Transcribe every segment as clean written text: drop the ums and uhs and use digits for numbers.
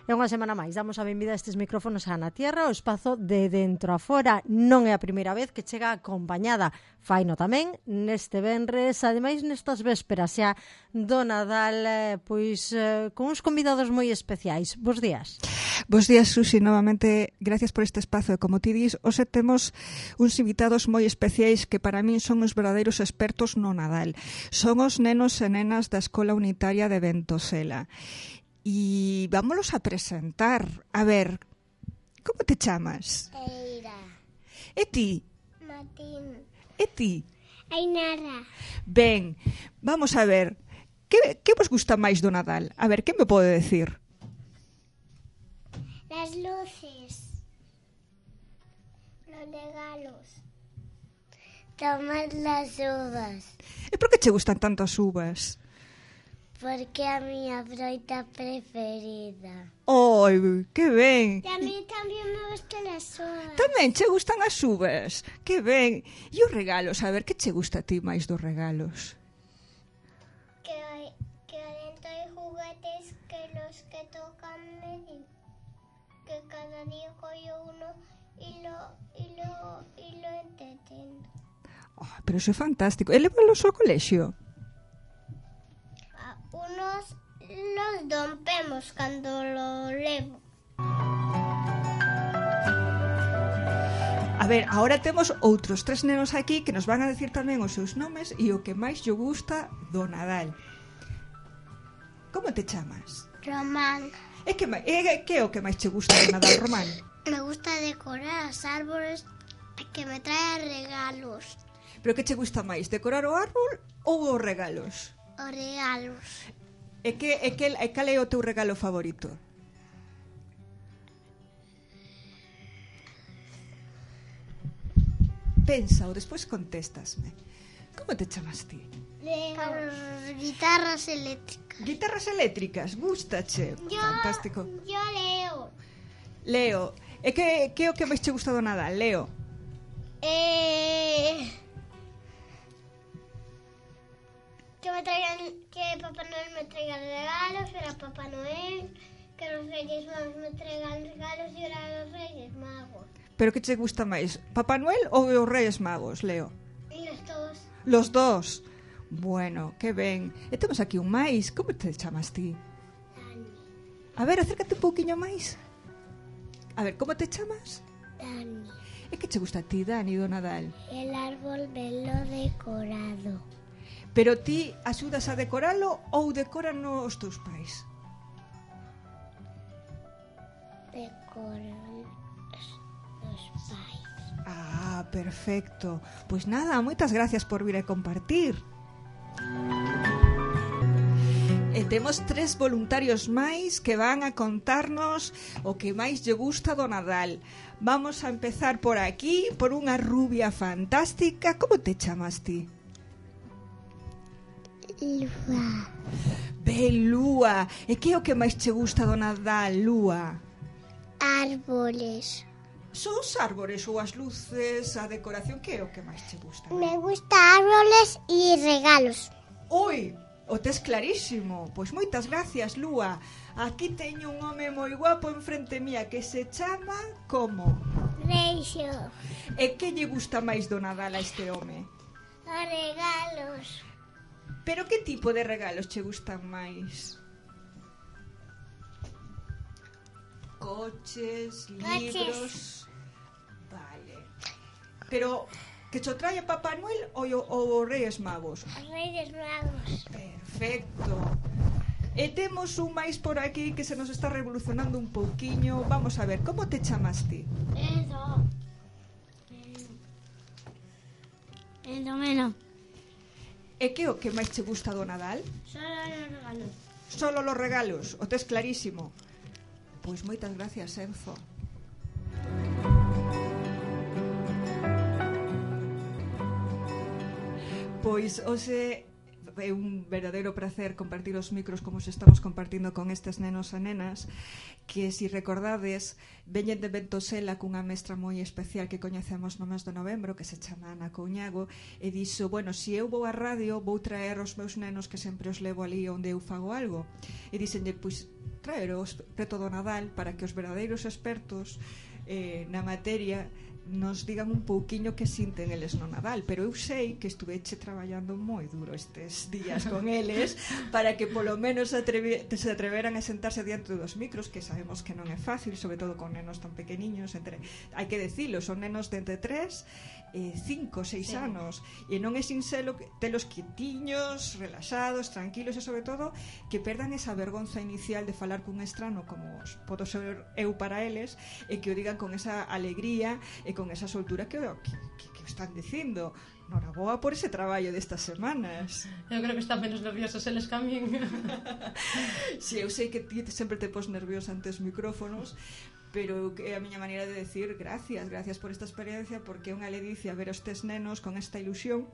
E unha semana máis damos a benvida a estes micrófonos a Na Tierra, o espazo de dentro a fora. Non é a primeira vez que chega acompañada. Faino tamén neste venres, ademais nestas vésperas xa do Nadal, con uns convidados moi especiais. Bos días. Bos días, Susi, novamente gracias por este espazo. E como ti dis, hoxe temos uns invitados moi especiais que para min son os verdadeiros expertos no Nadal. Son os nenos e nenas da Escola Unitaria de Ventosela. E vámonos a presentar. A ver, como te chamas? Eira. E ti? Martín. E ti? Ainara. Ben, vamos a ver. Que vos gusta máis do Nadal? A ver, que me pode decir? Las luces. Los regalos. Tomar las uvas. E por que che gustan tanto as uvas? Porque é a miña froita preferida. Oi, que ben. E a mí tamén me gustan as uvas. Tamén che gustan as uvas. Que ben. E os regalos, a ver, que che gusta a ti máis dos regalos? Que dentro hai juguetes que los que tocan medir. Que cada día cojo uno y lo entretengo. Oh, pero iso é fantástico. E leválos ao colexio? Unos los rompemos cuando lo levo. A ver, agora temos outros 3 nenos aquí que nos van a decir tamén os seus nomes e o que máis lle gusta do Nadal. Como te chamas? Román. Que é o que máis che gusta do Nadal, Román? Me gusta decorar os árboles que me traen regalos. Pero que che gusta máis, decorar o árbol ou os regalos? Os regalos. E cal é o teu regalo favorito? Pensa ou despois contéstasme. Como te chamas ti? Guitarras eléctricas. Guitarras eléctricas, gústache? Fantástico. Yo leo. Leo. E que é o que máis che gusta do Nadal, Leo? Que Papá Noel me traiga regalos, era Papá Noel, que los Reyes Magos me traigan regalos y ahora los Reyes Magos. Pero que che gusta máis, Papá Noel ou os Reyes Magos, Leo? Y los dos. Los dos. Bueno, que ben. E temos aquí un máis. Como te chamas ti? Dani. A ver, acércate un pouquiño máis. A ver, como te chamas? Dani. E que che gusta a ti, Dani, do Nadal? El árbol velo decorado. Pero ti axudas a decoralo ou decoran os teus pais? Decoran los pais. Ah, perfecto. Pois nada, moitas gracias por vir a compartir. E temos 3 voluntarios máis que van a contarnos o que máis lle gusta do Nadal. Vamos a empezar por aquí, por unha rubia fantástica. Como te chamas ti? Lua. Ben, Lúa. E que é o que máis che gusta do Nadal, Lúa? Árboles. Son os árbores ou as luces, a decoración, que é o que máis che gusta? Me gusta árboles y regalos. Oi, o tes clarísimo. Pois moitas gracias, Lúa. Aquí teño un home moi guapo enfrente mía que se chama como? Reixo. E que lle gusta máis do Nadal a este home? Os regalos. Pero que tipo de regalos che gustan máis? Coches, libros... Vale. Pero que cho traia Papá Noel ou os Reyes Magos? Os Reyes Magos. Perfecto. E temos un máis por aquí que se nos está revolucionando un pouquiño. Vamos a ver, como te chamas ti? Endomeno. E que o que máis che gusta do Nadal? Solo los regalos. Solo los regalos, o tes clarísimo. Pois moitas gracias, Enzo. Pois hoxe é un verdadeiro placer compartir os micros como se estamos compartindo con estes nenos e nenas que, se recordades, veñen de Ventosela cunha mestra moi especial que coñecemos no mes de novembro, que se chama Ana Couñago, e dixo, bueno, se eu vou á radio vou traer os meus nenos que sempre os levo ali onde eu fago algo, e dixenlle, pois traeros preto do Nadal para que os verdadeiros expertos na materia nos digan un pouquiño que sinten eles no Nadal, pero eu sei que estuveche traballando moi duro estes días con eles para que polo menos se atreveran a sentarse diante dos micros, que sabemos que non é fácil, sobre todo con nenos tan pequeniños, hai que decilo, son nenos de entre 3 e 5, 6 anos, e non é sinxelo telos quietiños, relaxados, tranquilos, e sobre todo que perdan esa vergonza inicial de falar cun estrano como podo ser eu para eles, e que o digan con esa alegría e con esa soltura que están dicindo. Noraboa por ese traballo destas semanas. Eu creo que están menos nerviosos eles que a min. Si, eu sei que ti sempre te pos nerviosa ante os micrófonos, pero é a miña maneira de decir gracias por esta experiencia, porque é unha ledicia ver estes nenos con esta ilusión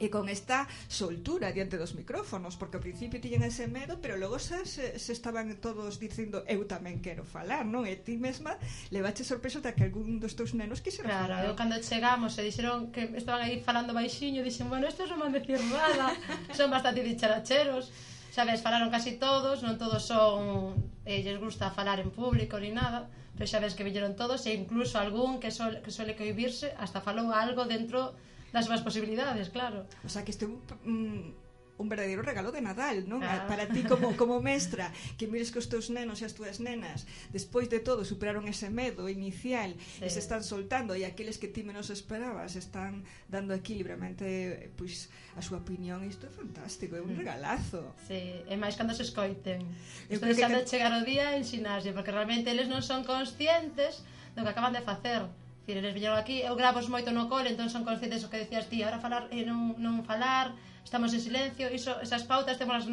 e con esta soltura diante dos micrófonos, porque ao principio tiñen ese medo, pero logo se estaban todos dicindo eu tamén quero falar, non? E ti mesma levache sorpresa de que algún dos teus nenos quixera falar. Claro, eu cando chegamos e dixeron que estaban aí falando baixinho, dixen, bueno, estes non van decir nada, son bastante dicharacheros, sabes, falaron casi todos, non todos son lles gusta falar en público ni nada, pero xa ves que viñeron todos, e incluso algún que suele cohibirse hasta falou algo dentro das súas posibilidades, claro. O sea, que este un verdadeiro regalo de Nadal, non? Para ti como mestra, que mires que os teus nenos e as túas nenas despois de todo superaron ese medo inicial, e se están soltando, e aqueles que ti menos esperabas están dando aquí libremente pois a súa opinión. Isto é fantástico, é un regalazo. Sí, e máis cando se escoiten. Isto deixando de chegar o día en xinasio, porque realmente eles non son conscientes do que acaban de facer. Eles viñeron aquí, eu gravos moito no cole, entón son conscientes o que decías ti, ahora falar e non falar, estamos en silencio, esas pautas temos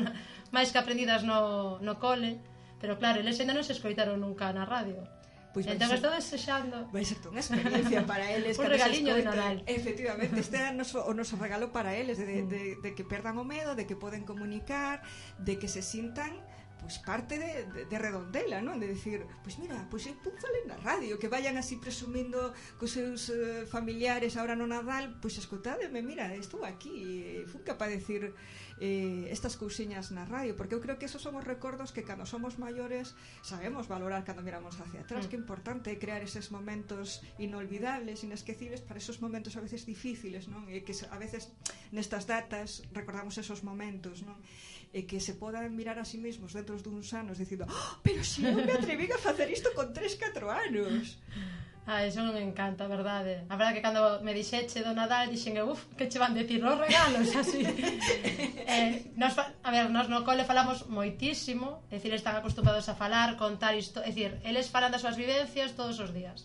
máis que aprendidas no cole, pero claro, eles ainda non se escoitaron nunca na radio. Pois entón estou desexando. Vai ser unha experiencia para eles. Un regaliño de Nadal. Efectivamente, este é o noso regalo para eles, de que perdan o medo, de que poden comunicar, de que se sintan pois parte de Redondela, non? De decir, pois mira, pois eu falei na radio, que vayan así presumindo cos seus familiares ahora no Nadal, pois escoitádeme, mira, estou aquí, fui capaz de decir estas cousiñas na radio, porque eu creo que esos son os recordos que cando somos maiores sabemos valorar cando miramos hacia atrás, que é importante crear eses momentos inolvidables, inesquecibles para esos momentos a veces difíciles, non? E que a veces nestas datas recordamos esos momentos, non? E que se podan mirar a sí mesmos dentro duns anos dicindo, pero se eu me atreví a facer isto con 3-4 anos. Eso non me encanta, a verdade. A verdade que cando me dixeche do Nadal dixen, que che van decir os regalos, así. Nos no cole falamos moitísimo, é dicir, están acostumbrados a falar, contar isto, é dicir, eles falan das súas vivencias todos os días.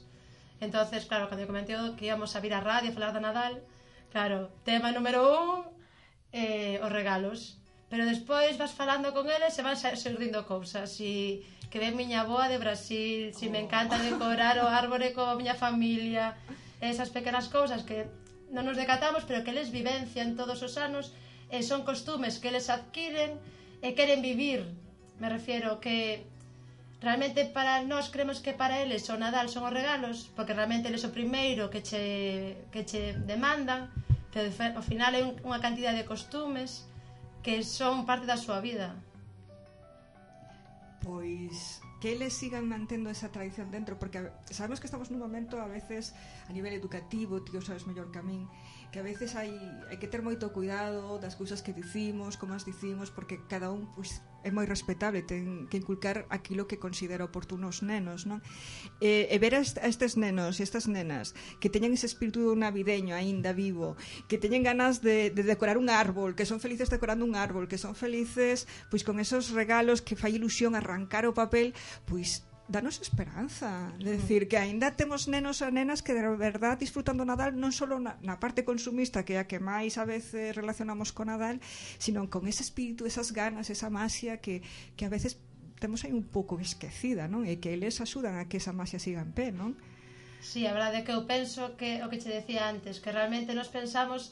Entonces, claro, cando eu comenté que íamos a vir a radio a falar do Nadal, claro, tema número 1, os regalos. Pero despois vas falando con eles e van surdindo cousas, e que ven miña avoa de Brasil, si me encanta decorar o árbore coa miña familia, esas pequenas cousas que non nos decatamos, pero que eles vivencian todos os anos, e son costumes que eles adquiren e queren vivir. Me refiero que realmente para nós creemos que para eles o Nadal son os regalos, porque realmente eles o primeiro que che demandan, pero ao final é unha cantidad de costumes que son parte da súa vida. Pois que eles sigan mantendo esa tradición dentro, porque sabemos que estamos nun momento a veces a nivel educativo, ti o sabes mellor que a min, que a veces hai que ter moito cuidado das cousas que dicimos, como as dicimos, porque cada un pois é moi respetable, ten que inculcar aquilo que considera oportuno os nenos, non? E ver a estes nenos e estas nenas que teñen ese espírito navideño aínda vivo, que teñen ganas de decorar un árbol, que son felices decorando un árbol, que son felices pois con esos regalos, que fai ilusión arrancar o papel, pois danos esperanza, de decir que aínda temos nenos e nenas que de verdad disfrutan do Nadal, non só na parte consumista, que é a que máis a veces relacionamos con Nadal, sino con ese espírito, esas ganas, esa masia que a veces temos aí un pouco esquecida, non? E que eles axudan a que esa masia siga en pé, non? Sí, a verdade é que eu penso que o que che decía antes, que realmente nos pensamos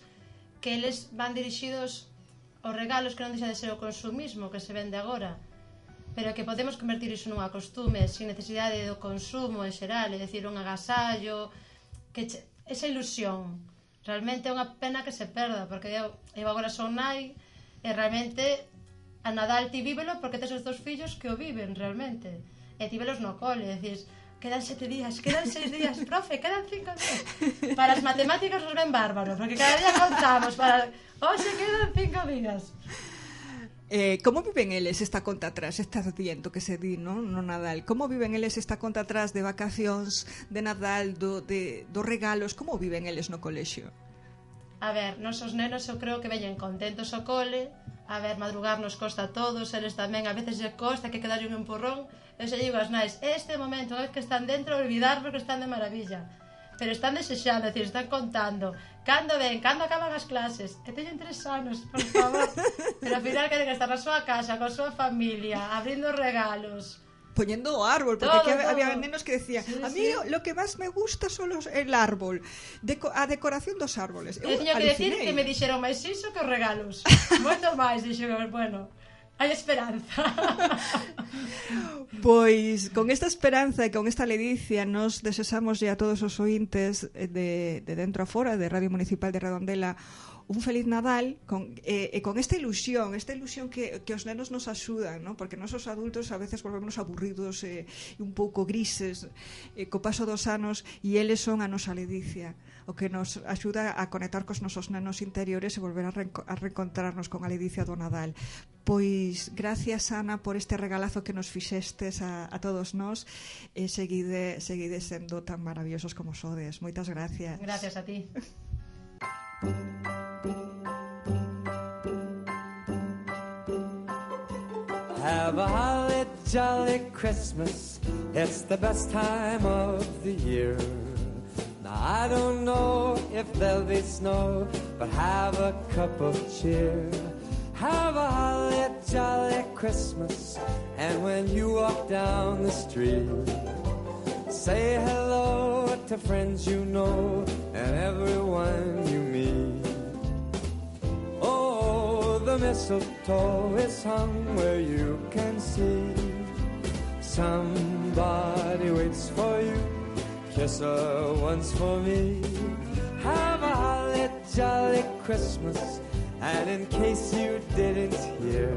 que eles van dirixidos aos regalos, que non deixa de ser o consumismo que se vende agora, pero que podemos convertir iso nunha costume sin necesidade do consumo en xeral, é dicir, un agasallo, esa ilusión realmente é unha pena que se perda, porque eu agora son nai e realmente a Nadal ti vívelo porque tes os dos fillos que o viven realmente. E ti velos no cole, e dices, quedan 7 días, quedan 6 días, profe, quedan 5 días. Para as matemáticas nos ven bárbaros, porque cada día contamos, hoxe quedan 5 días. Como viven eles esta conta atrás? Estás diciendo que se di, no Nadal. Como viven eles esta conta atrás de vacacións, de Nadal, dos regalos? Como viven eles no colexio? A ver, nosos nenos eu creo que veñen contentos ao cole. A ver, madrugar nos costa a todos, eles tamén a veces lle costa que quedarlle un empurrón. Eu se digo as nais, este momento, unha vez que están dentro, olvidarnos que están de maravilla. Pero están desexando, é dicir, están contando cando acaban as clases, que teñen 3 anos, por favor. Pero ao final queren estar na súa casa, coa súa familia, abrindo regalos, poniendo o árbol, porque todo, aquí todo. había nenos que decían, sí, a mí lo que más me gusta son el árbol, a decoración dos árboles. Eu teño que decir que me dixeron máis iso que os regalos. Moito máis, dixeron, bueno, hai esperanza. Pois con esta esperanza e con esta ledicia nos desexamos a todos os ointes de Dentro a Fora, de Radio Municipal de Redondela, un feliz Nadal con esta ilusión que os nenos nos axudan, ¿no? Porque nós os adultos a veces volvemos aburridos e un pouco grises co paso dos anos, e eles son a nosa ledicia, o que nos axuda a conectar cos nosos nenos interiores e volver a reencontrarnos con a ledicia do Nadal. Pois gracias, Ana, por este regalazo que nos fixestes a todos nós, e seguide sendo tan maravillosos como sodes. Moitas gracias. Gracias a ti. Have a holly jolly Christmas, it's the best time of the year. Now I don't know if there'll be snow, but have a cup of cheer. Have a holly jolly Christmas, and when you walk down the street, say hello to friends you know and everyone you meet. Oh, the mistletoe is hung where you can see. Somebody waits for you, kiss her once for me. Have a holly jolly Christmas, and in case you didn't hear,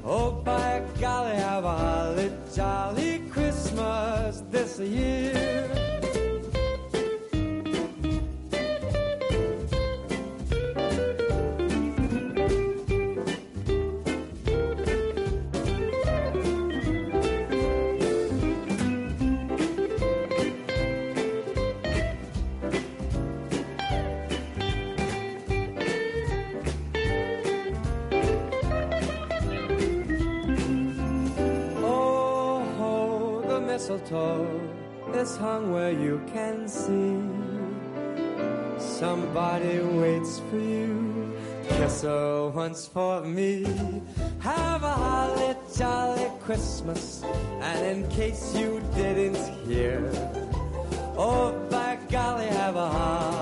oh, by golly, have a holly jolly Christmas this year. Mistletoe is hung where you can see. Somebody waits for you, kiss her once for me. Have a holly jolly Christmas, and in case you didn't hear, oh, by golly, have a holly